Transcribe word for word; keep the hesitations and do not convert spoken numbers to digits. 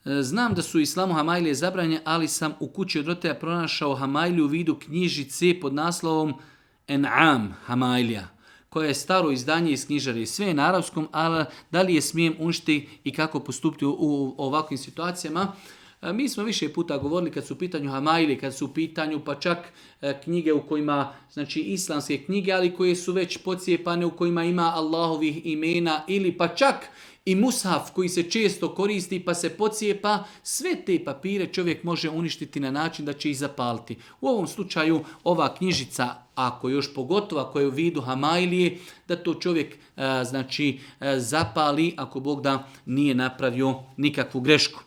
Znam da su u islamu hamajlije zabranjene, ali sam u kući od roditelja pronašao hamajliju u vidu knjižice pod naslovom En'am hamajlija, koja je staro izdanje iz knjižare. Sve je na arapskom, ali da li je smijem uništiti i kako postupiti u, u ovakvim situacijama? Mi smo više puta govorili kad su u pitanju hamajlije, kad su u pitanju pa čak knjige u kojima, znači islamske knjige, ali koje su već pocijepane, u kojima ima Allahovih imena, ili pa čak i mushaf koji se često koristi pa se pocijepa, sve te papire čovjek može uništiti na način da će ih zapaliti. U ovom slučaju ova knjižica, ako još pogotovo ako je u vidu hamajlije, da to čovjek znači zapali ako Bog da nije napravio nikakvu grešku.